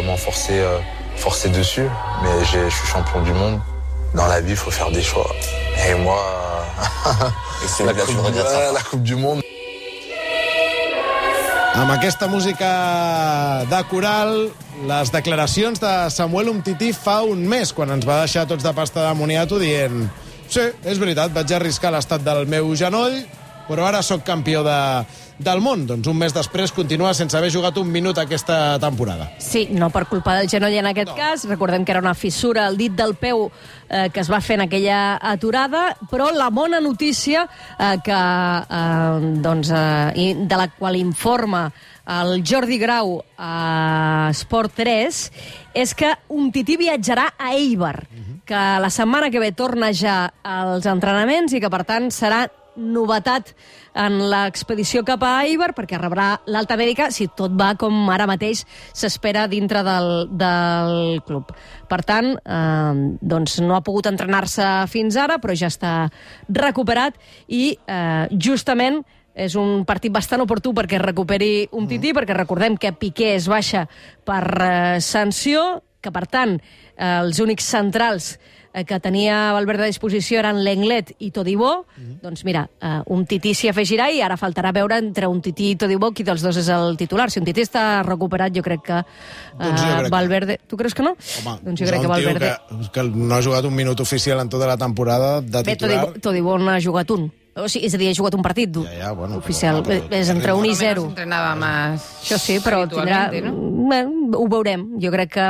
vraiment forcer dessus. Mais je suis champion du monde. Dans la vie, il faut faire des choix. Et moi, la Coupe du Monde. Amb aquesta música de coral, les declaracions de Samuel Umtiti fa un mes, quan ens va deixar tots de pasta de moniato dient: sí, és veritat, vaig arriscar l'estat del meu genoll, però ara sóc campió del món. Doncs un mes després continua sense haver jugat un minut aquesta temporada. Sí, no per culpa del genoll en aquest cas. Recordem que era una fissura al dit del peu que es va fer en aquella aturada, però la bona notícia de la qual informa el Jordi Grau a Esport 3 és que Umtiti viatjarà a Eibar, que la setmana que ve torna ja als entrenaments i que, per tant, serà novetat en l'expedició cap a Eibar, perquè rebrà l'alta mèdica si tot va com ara mateix s'espera dintre del club. Per tant, doncs no ha pogut entrenar-se fins ara, però ja està recuperat i justament és un partit bastant oportú perquè recuperi Umtiti, perquè recordem que Piqué es baixa per sanció, que per tant els únics centrals que tenia Valverde a disposició eren Lenglet i Todibo. Doncs mira, Umtiti s'hi afegirà i ara faltarà veure entre Umtiti i Todibo qui dels dos és el titular. Si Umtiti està recuperat, jo crec que Valverde... Tu creus que no? Home, doncs jo crec que Valverde... que no ha jugat un minut oficial en tota la temporada de titular. Bé, Todibo no ha jugat un. O sigui, és a dir, ha jugat un partit oficial. És entre 1 i 0. Entrenava más. Això sí, però tindrà... Ho veurem. Jo crec que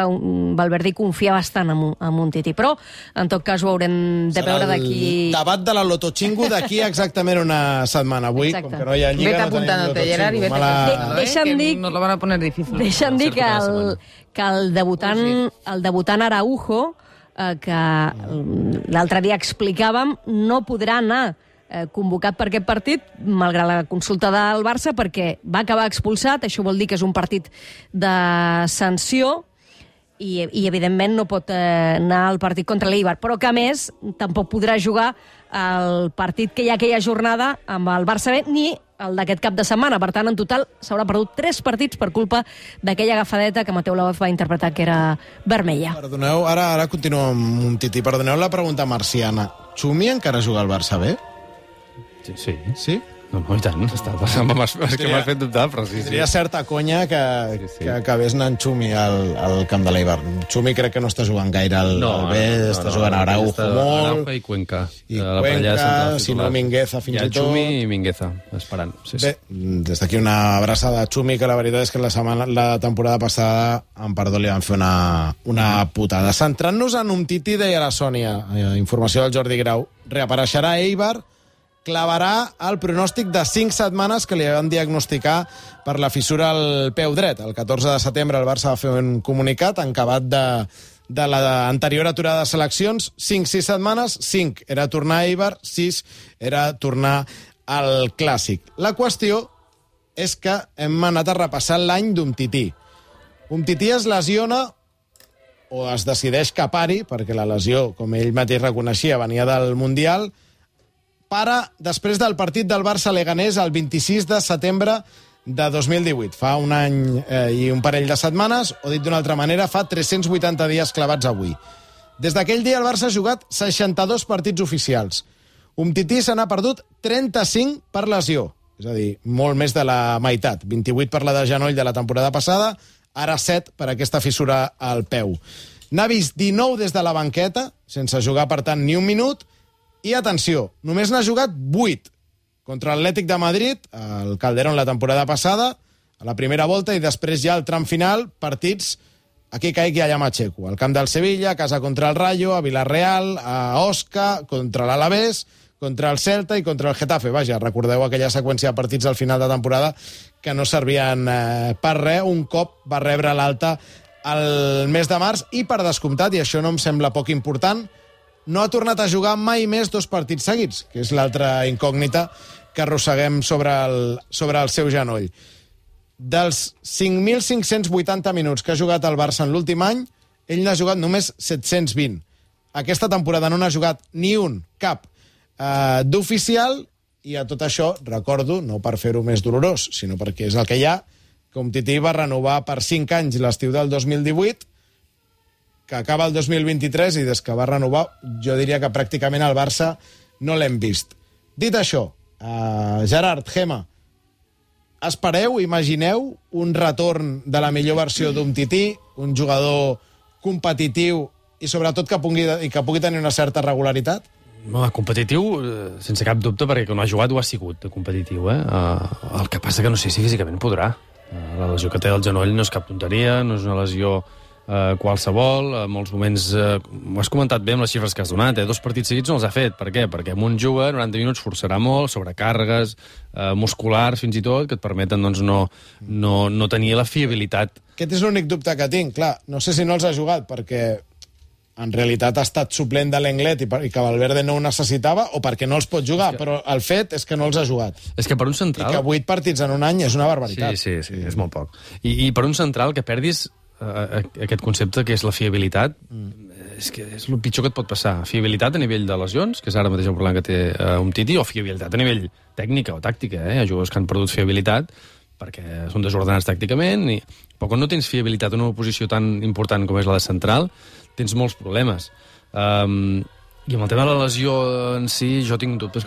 Valverde confia bastant en Umtiti, però en tot cas ho haurem de veure d'aquí... Serà el debat de la Lotochingu d'aquí exactament una setmana. Avui, com que no hi ha Lliga, no tenim Lotochingu. Deixa'm dir... Nos lo van a poner difícil. Deixa'm dir que el debutant Araujo, que l'altre dia explicàvem, no podrà anar convocat per aquest partit, malgrat la consulta del Barça, perquè va acabar expulsat. Això vol dir que és un partit de sanció i evidentment no pot anar al partit contra l'Eibar, però que a més tampoc podrà jugar el partit que hi ha aquella jornada amb el Barça B, ni el d'aquest cap de setmana. Per tant, en total s'haurà perdut 3 partits per culpa d'aquella agafadeta que Mateu Laoz va interpretar que era vermella. Perdoneu, ara continuo amb Umtiti. Perdoneu la pregunta marciana. Xumi encara juga al Barça B? Sí. Sí? No, i tant. És que m'has fet dubtar, però sí. Tindria certa conya que acabés anant Xumi al camp de l'Eibar. Xumi crec que no està jugant gaire al B, està jugant a Araujo molt. Araujo i Cuenca. I Cuenca, si no Mingueza fins i tot. Xumi i Mingueza, esperant. Bé, des d'aquí una abraçada a Xumi, que la veritat és que la temporada passada, amb perdó, li van fer una putada. Centrant-nos en Umtiti, deia la Sònia, informació del Jordi Grau, reapareixerà a Eibar, clavarà el pronòstic de 5 setmanes que li van diagnosticar per la fissura al peu dret. El 14 de setembre el Barça va fer un comunicat encabat de l'anterior aturada de seleccions. 5-6 setmanes, 5 era tornar a Eibar, 6 era tornar al Clàssic. La qüestió és que hem anat a repassar l'any d'Umtiti. Umtiti es lesiona o es decideix que pari, perquè la lesió, com ell mateix reconeixia, venia del Mundial, para després del partit del Barça-Leganés el 26 de setembre de 2018. Fa un any i un parell de setmanes, o dit d'una altra manera, fa 380 dies clavats avui. Des d'aquell dia el Barça ha jugat 62 partits oficials. Umtiti se n'ha perdut 35 per lesió, és a dir, molt més de la meitat. 28 per la de genoll de la temporada passada, ara 7 per aquesta fissura al peu. N'ha vist 19 des de la banqueta, sense jugar, per tant, ni un minut. I atenció, només n'ha jugat 8 contra l'Atlètic de Madrid, al Calderón la temporada passada, a la primera volta, i després ja al tram final, partits aquí caic i allà m'aixeco. Al camp del Sevilla, a casa contra el Rayo, a Villarreal, a Osca, contra l'Alavés, contra el Celta i contra el Getafe. Vaja, recordeu aquella seqüència de partits al final de temporada que no servien per res. Un cop va rebre l'alta el mes de març i, per descomptat, i això no em sembla poc important, no ha tornat a jugar mai més 2 partits seguits, que és l'altra incògnita que arrosseguem sobre el seu genoll. Dels 5.580 minuts que ha jugat el Barça en l'últim any, ell n'ha jugat només 720. Aquesta temporada no n'ha jugat ni un, cap, d'oficial, i a tot això, recordo, no per fer-ho més dolorós, sinó perquè és el que hi ha, que Umtiti va renovar per 5 anys l'estiu del 2018, que acaba el 2023 i des que va renovar jo diria que pràcticament al Barça no l'hem vist. Dit això, Gerard, Gemma, espereu, imagineu un retorn de la millor versió d'Umtiti, un jugador competitiu i sobretot que pugui tenir una certa regularitat? No, competitiu, sense cap dubte, perquè quan ha jugat ho ha sigut, de competitiu. El que passa que no sé si físicament podrà. La lesió que té del genoll no és cap tonteria, no és una lesió qualsevol. En molts moments, ho has comentat bé amb les xifres que has donat, 2 partits seguits no els ha fet. Per què? Perquè un juga 90 minuts, forçarà molt, sobrecàrregues musculars fins i tot, que et permeten doncs, no tenir la fiabilitat. Aquest és l'únic dubte que tinc. Clar, no sé si no els ha jugat perquè en realitat ha estat suplent de l'Englet i que Valverde no ho necessitava o perquè no els pot jugar, però el fet és que no els ha jugat. És que per un central... I que 8 partits en un any és una barbaritat. Sí, és molt poc. I per un central que perdis aquest concepte que és la fiabilitat, és que és el pitjor que et pot passar. Fiabilitat a nivell de lesions, que és ara mateix el problema que té Umtiti, o fiabilitat a nivell tècnica o tàctica. Hi ha jugadors que han perdut fiabilitat perquè són desordenats tàcticament, però quan no tens fiabilitat en una posició tan important com és la de central, tens molts problemes. I amb el tema de la lesió en si, jo tinc dubtes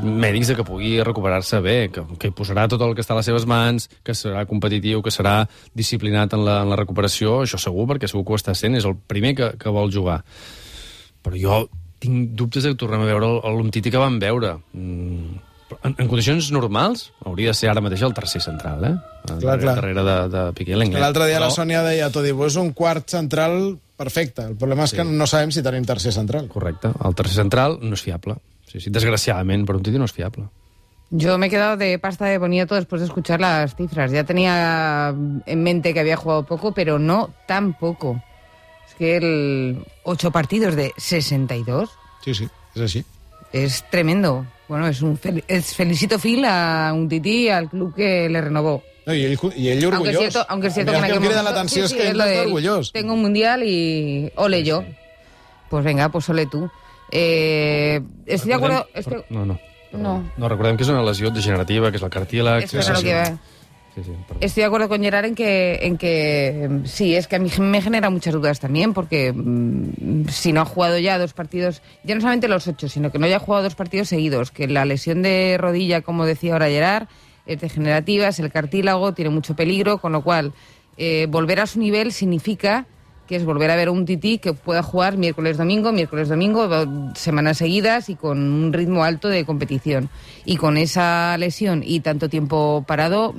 mèdics de que pugui recuperar-se bé, que hi posarà tot el que està a les seves mans, que serà competitiu, que serà disciplinat en la recuperació, això segur, perquè segur que ho està sent, és el primer que vol jugar. Però jo tinc dubtes de que tornem a veure l'Umtiti que vam veure. En condicions normals, hauria de ser ara mateix el tercer central, darrere de Piqué Lenglet. L'altre dia la Sònia deia Todibo és un quart central perfecte. El problema és que no sabem si tenim tercer central. Correcte. El tercer central no és fiable. Sí, desgraciadament, per un Titi no és fiable. Yo me he quedado de pasta de boniato después de escuchar las cifras. Ya tenía en mente que había jugado poco, pero no tan poco. Es que 8 partidos de 62... Sí, és així. Es tremendo. Bueno, felicito Phil a Umtiti, al club que le renovó. No, y ell orgullós. Aunque es cierto que en aquel momento... l'atenció és que ell està orgullós. Tengo un mundial y ole yo. Pues venga, pues ole tú. Estoy de acuerdo... No, recordem que és una lesió degenerativa, que és el cartílag... Estoy de acuerdo con Gerard en que sí, es que a mí me genera muchas dudas también, porque si no ha jugado ya 2 partidos, ya no solamente los 8, sino que no haya jugado 2 partidos seguidos, que la lesión de rodilla, como decía ahora Gerard, es degenerativa, es el cartílago, tiene mucho peligro, con lo cual volver a su nivel significa que es volver a ver a un Titi que pueda jugar miércoles-domingo, semanas seguidas y con un ritmo alto de competición. Y con esa lesión y tanto tiempo parado,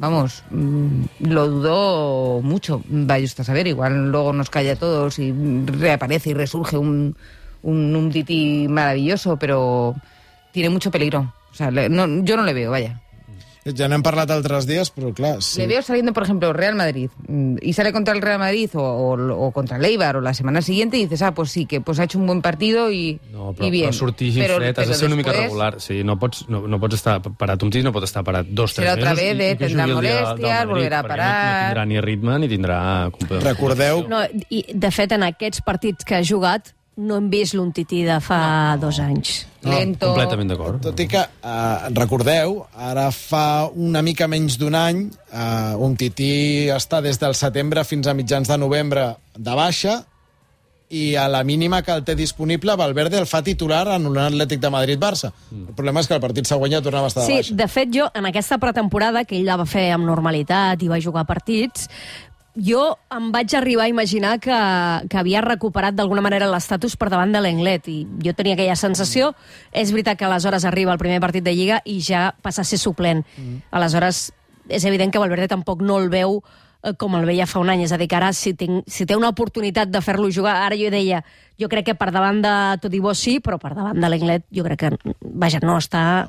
lo dudo mucho. Vaya usted a saber, igual luego nos calla a todos y reaparece y resurge un Titi maravilloso, pero tiene mucho peligro. O sea, yo no le veo, vaya. Ja n'hem parlat altres dies, però clar... Sí. Le veo saliendo, por ejemplo, Real Madrid, y sale contra el Real Madrid o contra el Eibar o la semana siguiente y dices, pues sí, que pues ha hecho un buen partido y bien. Però sortir fred, has de ser una mica regular. Sí, no pots estar parat. Un tis no pot estar parat 2 o 3 mesos. Serà otra vez, tindrà molèsties, volverà a parar... No tindrà ni ritme ni tindrà... Recordeu... No, i, de fet, en aquests partits que ha jugat, no hem vist l'Umtiti de fa 2 anys. Lento. Completament d'acord. Tot i que, recordeu, ara fa una mica menys d'un any, Umtiti està des del setembre fins a mitjans de novembre de baixa, i a la mínima que el té disponible, Valverde el fa titular en un Atlètic de Madrid-Barça. El problema és que el partit següent ja tornava a estar de baixa. Sí, de fet, jo, en aquesta pretemporada, que ell la va fer amb normalitat i va jugar partits, jo em vaig arribar a imaginar que havia recuperat d'alguna manera l'estatus per davant de l'Englet, i jo tenia aquella sensació. És veritat que aleshores arriba el primer partit de Lliga i ja passa a ser suplent. Aleshores, és evident que Valverde tampoc no el veu com el veia fa un any. És a dir, que ara, si té una oportunitat de fer-lo jugar, ara jo deia, jo crec que per davant de Todibo sí, però per davant de l'Englet jo crec que, vaja, no està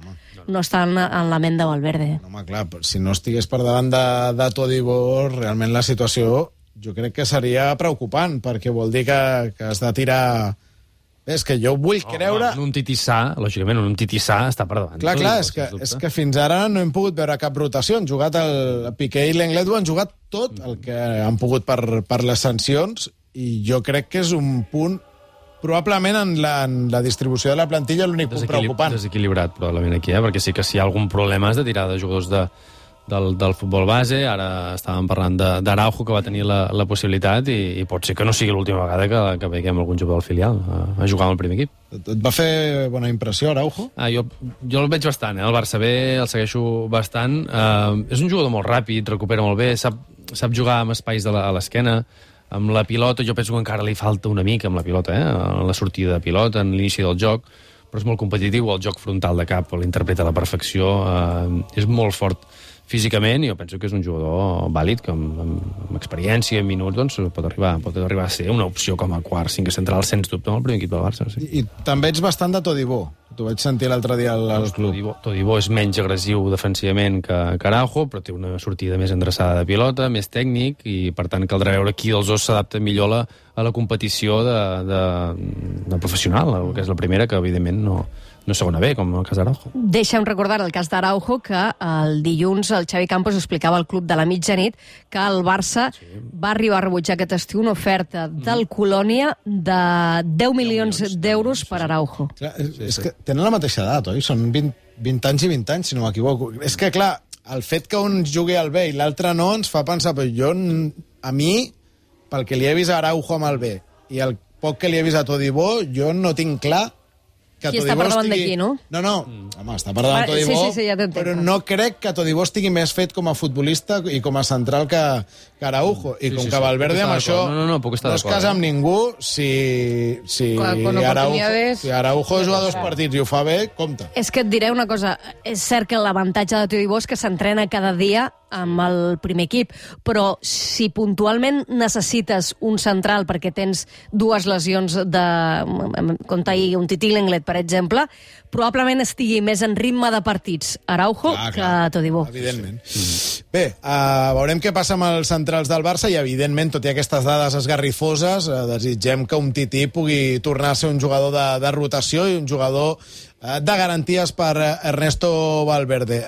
en la ment de Valverde. No, home, clar, si no estigués per davant de Todibo, realment la situació jo crec que seria preocupant, perquè vol dir que has de tirar... És que jo vull creure... Un Titi sa, lògicament, un Titi sa està per davant. Clar, és que fins ara no hem pogut veure cap rotació. Han jugat el Piqué i l'Englet, han jugat tot el que han pogut per les sancions, i jo crec que és un punt, probablement en la distribució de la plantilla, l'únic punt preocupant. Desequilibrat, probablement, aquí, perquè sí que si hi ha algun problema has de tirar de jugadors del futbol base. Ara estàvem parlant d'Araujo, que va tenir la possibilitat, i pot ser que no sigui l'última vegada que veiem algun jugador del filial a jugar amb el primer equip. Et va fer bona impressió, Araujo? Jo el veig bastant, el Barça B, el segueixo bastant. És un jugador molt ràpid, recupera molt bé, sap jugar amb espais a l'esquena, amb la pilota. Jo penso que encara li falta una mica amb la pilota, la sortida de pilota, en l'inici del joc, però és molt competitiu, el joc frontal de cap l'interpreta a la perfecció, és molt fort físicament, i jo penso que és un jugador vàlid, que amb experiència, en minuts, doncs, pot arribar a ser una opció com a quart, cinquè central, sens dubte, amb el primer equip del Barça. Sí. I també ets bastant de Todibó. T'ho vaig sentir l'altre dia al club. Todibó és menys agressiu defensivament que Araujo, però té una sortida més endreçada de pilota, més tècnic, i per tant caldrà veure qui dels dos s'adapta millor a la competició de professional, que és la primera, que evidentment no segona B, com el cas d'Araujo. Deixa'm recordar el cas d'Araujo, que el dilluns el Xavi Campos explicava al club de la mitjanit que el Barça va arribar a rebutjar aquest estiu una oferta del Colònia de 10 milions d'euros per Araujo. Clar, és que tenen la mateixa edat, oi? Són 20 anys i 20 anys, si no m'equivoco. És que, clar, el fet que un jugui al B i l'altre no ens fa pensar, però jo, a mi, pel que li he vist a Araujo amb el B i el poc que li he vist a Todibó, jo no tinc clar que qui està per davant d'aquí, no? No, home, està per davant Todibó, sí, ja però no crec que Todibó estigui més fet com a futbolista i com a central que Araujo. I com que Valverde amb això no es casa amb ningú, si Araujo juga 2 partits i ho fa bé, compte. És que et diré una cosa, és cert que l'avantatge de Todibó és que s'entrena cada dia amb el primer equip, però si puntualment necessites un central perquè tens 2 lesions com ahir un Tití Lenglet, per exemple, probablement estigui més en ritme de partits Araujo que Todibó. Evidentment. Bé, veurem què passa amb els centrals del Barça i, evidentment, tot i aquestes dades esgarrifoses, desitgem que un Tití pugui tornar a ser un jugador de rotació i un jugador de garanties per Ernesto Valverde.